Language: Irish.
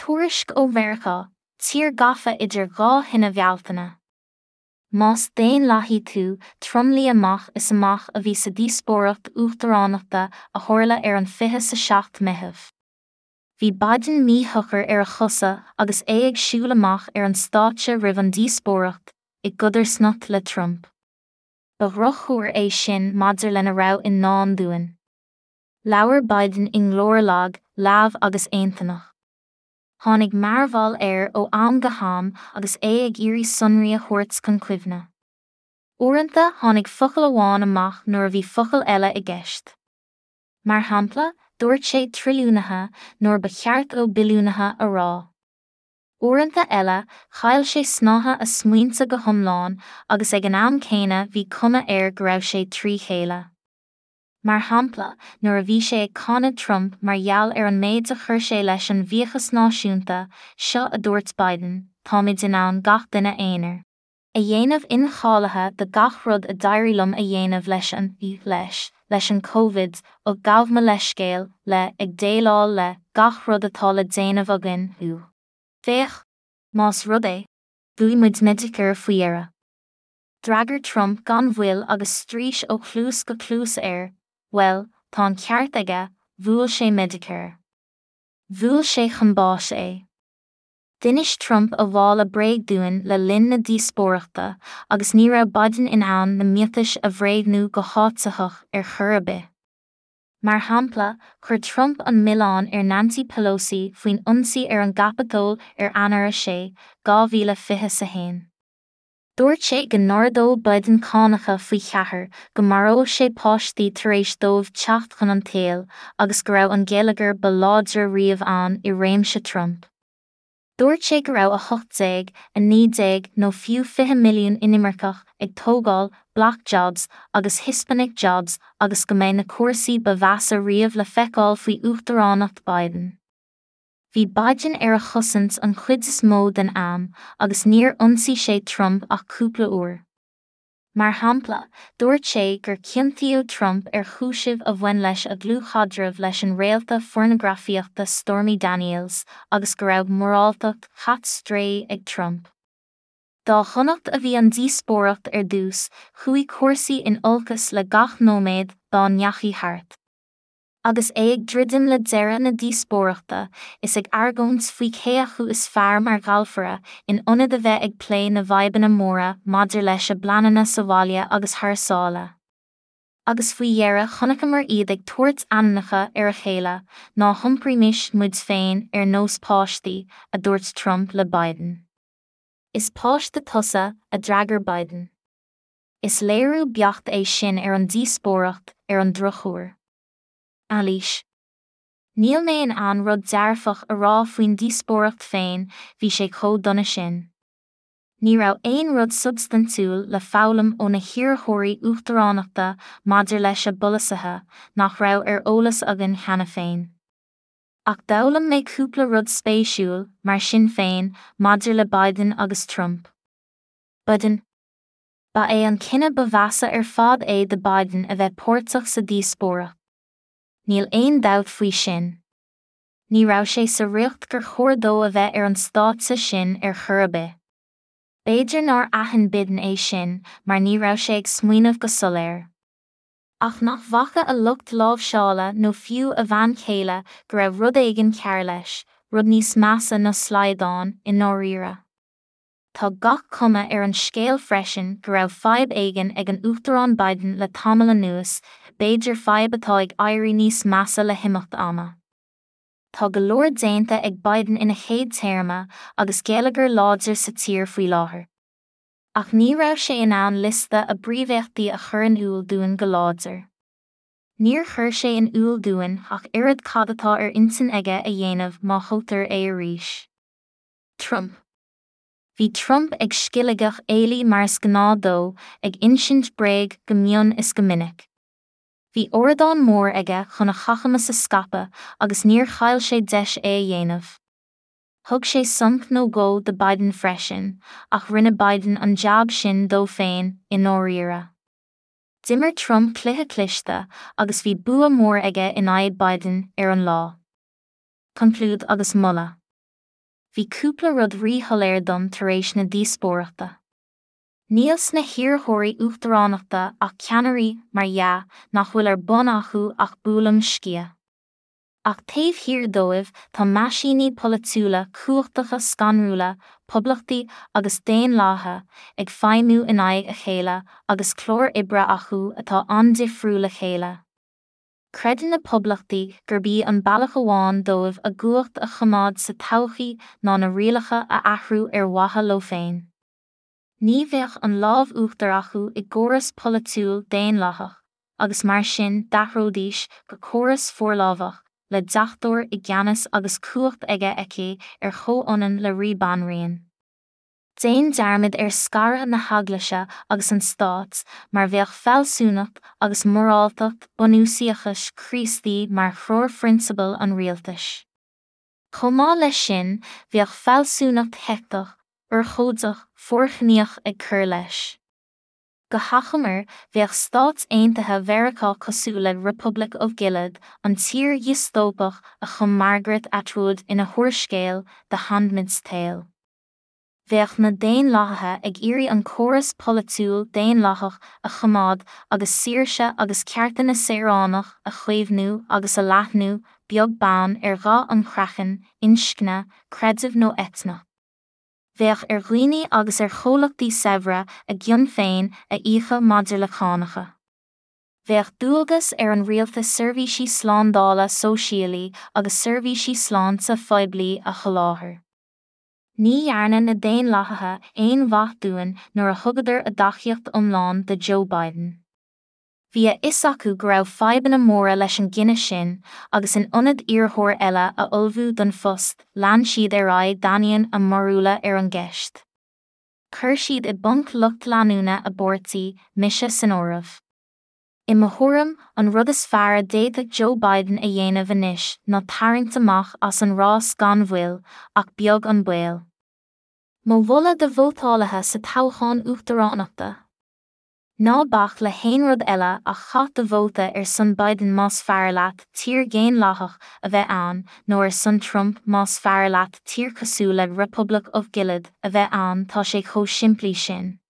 Tuairisc ó Mheiriceá, tír gafa idir dhá thine Bhealtaine. Más daonlathaí tú, tromluí amach is amach a bhí sa díospóireacht uachtaránachta a tharla ar an 27 Meitheamh. Bhí Biden míshocair ar a chosa agus é ag siúl amach ar an stáitse roimh an díospóireacht, i gcodarsnacht le Trump. Ba dhrochthuar é sin maidir lena raibh i ndán dúinn. Labhair Biden i nglór lag, leamh agus aontonach. Tháinig mearbhall air ó am go ham agus é ag iarraidh sonraí a thabhairt chun cuimhne. Uaireanta tháinig focal amháin amach nuair a bhí focal eile i gceist. Mar shampla, dúirt sé 'trilliúnaithe' nuair ba cheart dó 'billiúnaithe' a rá. Uaireanta eile, chaill sé snáithe a smaointe go hiomlán agus ag an am céanna bhí cuma air go raibh sé trí chéile. Mar shampla, nuair a bhí sé ag cáineadh Trump mar gheall ar an méid a chuir sé leis an bhfiachas náisiúnta, seo a dúirt Biden, Táimid in ann gach duine aonair. A dhéanamh incháilithe do gach rud a d'éirigh liom a dhéanamh leis an, leis, leis an Covid, ó gabh mo leithscéal, le, ag déileáil le, gach rud atá le déanamh againn, ú. Féach! Más rud é. Bhuaigh muid Medicare faoi dheireadh. D'fhreagair Trump gan mhoill agus straois ó chluas go cluas air, Bhuel, tá an ceart aige, bhuail sé Medicare. Bhuail sé chun báis é. D'inis Trump a mhála bréag dúinn le linn na díospóireachta agus ní raibh Biden in ann na miotais a bhréagnú go háititheach ar chor ar bith. Mar shampla, chuir Trump an milleán ar Nancy Pelosi faoin ionsaí ar an gCaipeatól ar Eanáir 6, 2021. Dúirt sé go n-ardódh Biden cánacha faoi cheathair, go maródh sé páistí tar éis dóibh teacht chun an tsaoil, agus go raibh an geilleagar ba láidre riamh ann i réimse Trump. Dúirt sé go raibh 18, 19 nó fiú 20 milliún inimirceach ag tógáil 'black jobs' agus 'Hispanic jobs' agus go mbeidh na cúrsaí ba mheasa riamh le feiceáil faoi uachtaránacht Biden. Bhí Biden ar a chosaint an chuid is mó den am agus níor ionsaigh sé Trump ach cúpla uair. Mar shampla, dúirt sé gur ciontaíodh Trump ar chúisimh a bhain leis a dhlúthchaidreamh leis an réalta phornagrafaíochta Stormy Daniels agus go raibh moráltacht chat strae ag Trump. Dá dhonacht a bhí an díospóireacht ar dtús, chuaigh cúrsaí in olcas le gach nóiméad dá ndeachaigh thart. Agus é ag druidim le deireadh na díospóireachta, is ag argóint faoi cé acu is fearr mar ghalfaire, in ionad a bheith ag plé na bhfadhbanna móra maidir leis a bpleananna sa bhaile agus thar sáile. Agus faoi dheireadh chonaiceamar iad ag tabhairt ainmneacha ar a chéile, ná hiompraímis muid féin ar nós páistí, a dúirt Trump le Biden. Is páiste tusa, a d'fhreagair Biden. Is léiriú beacht é sin ar an díospóireacht, ar an drochuair. Anailís. Níl mé in ann rud dearfach a rá faoin díospóireacht féin, bhí sé chomh dona sin. Ní raibh aon rud substaintiúil le foghlaim ó na hiarrthóirí uachtaránachta maidir leis a bpolasaithe nach raibh ar eolas againn cheana féin. Ach d'fhoghlaim mé cúpla rud spéisiúil, mar sin féin, maidir le Biden agus Trump. Biden. Ba é an cinneadh ba mheasa ar fad é do Biden a bheith páirteach sa díospóireacht. Níl aon dabht faoi sin. Ní raibh sé sa riocht gur chóir dó a bheith ar an stáitse sin ar chor ar bith. B'fhéidir nár aithin Biden é sin mar ní raibh sé ag smaoineamh go soiléir. Ach nach bhfaca a lucht láimhseála nó fiú a bhean chéile go raibh rud éigin cearr leis, rud níos measa ná slaghdán, i ndáiríre. Tá gach cuma ar an scéal freisin go raibh fadhb éigin ag an Uachtarán Biden le tamall anuas, b'fhéidir fadhb atá ag éirí níos measa le himeacht ama. Tá go leor déanta ag Biden ina chéad téarma agus geilleagar láidir sa tír faoi láthair. Ach ní raibh sé in ann liosta a bpríomhéachtaí a chur in iúl dúinn go láidir. Níor chuir sé in iúl dúinn ach oiread cad atá ar intinn aige a dhéanamh má thoghtar é arís. Trump. Bhí Trump ag scilligeadh éalaí mar is gnáth dó, ag insint bréag go mion is go minic. Bhí ardán mór aige chun a chacamas a scaipeadh agus níor chaill sé deis é a dhéanamh. Thug sé sonc nó dhó do Biden freisin, ach rinne Biden an jab sin dó féin, i ndáiríre. D'imir Trump cluiche cliste agus bhí bua mór aige in aghaidh Biden ar an lá. Conclúid agus moladh. Bhí cúpla rud ríshoiléir dom tar éis na díospóireachta. Níl sna hiarrthóirí uachtaránachta ach ceannairí, mar dhea, nach bhfuil ar bun acu ach buaileam sciath. Ach taobh thiar dóibh tá meaisíní polaitiúla cumhachtacha scanrúla, poblachtaí agus daonlathaithe, ag feidhmiú in aghaidh a chéile agus cláir oibre acu atá an-difriúil le chéile. Creideann na poblachtaí gurb í an bealach amháin dóibh a gcumhacht a choimeád sa todhchaí ná na rialacha a athrú ar mhaithe leo féin. Ní bheadh an lámh uachtair acu i gcóras polaitiúil daonlathach, agus mar sin d'athróidís go córas forlámhach, le deachtóir i gceannas agus cumhacht aige aici ar chomhionann le rí banríon. Déan dearmad ar scaradh na heaglaise agus an stáit, mar bheadh fealsúnacht agus moráltacht bunúsaíochais Chríostaí mar threoirphrionsabail an rialtais. Chomh maith leis sin, bheadh fealsúnacht sheicteach, urchóideach, forchníoch ag cur leis. Go hachomair, bheadh Stáit Aontaithe Mheiriceá cosúil le Republic of Gilead, an tír dhiostóipeach a chum Margaret Atwood ina húrscéal The Handmaid's Tale. Bheadh na Daonlathaithe ag iarraidh an córas polaitiúil daonlathach a choimeád agus saoirse agus cearta na saoránach a chaomhnú agus a leathnú, beag beann ar dhath an chraicinn, inscne, creideamh nó eitneacht. Bheadh ar dhaoine agus ar chomhlachtaí saibhre a gcion féin a íocadh maidir le cánacha. Bheadh dualgas ar an rialtas seirbhísí slándála sóisialaí agus seirbhísí sláinte phoiblí a sholáthar. Ní dhearna na Daonlathaithe aon mhaith dúinn nuair a thugadar a dtacaíocht iomlán do Joe Biden. Bhí a fhios acu go raibh fadhbanna móra leis an gcinneadh sin agus in ionad iarrthóir eile a ullmhú don phost lean siad ar aghaidh d'ainneoin a mbarúla ar an gceist. Chuir siad i bponc lucht leanúna a bpáirtí, mise san áireamh. I mo thuairim, an rud is fearr a d'fhéadfadh Joe Biden a dhéanamh anois ná tarraingt amach as an rás gan mhoill, ach beag an baol. Mo mholadh do vótálaithe sa toghchán uachtaránachta? Ná bac le haon rud eile ach caith do vóta ar son Biden más fearr leat tír dhaonlathach a bheith ann nó ar son Trump más fearr leat tír cosúil le Republic of Gilead a bheith ann tá sé chomh simplí sin.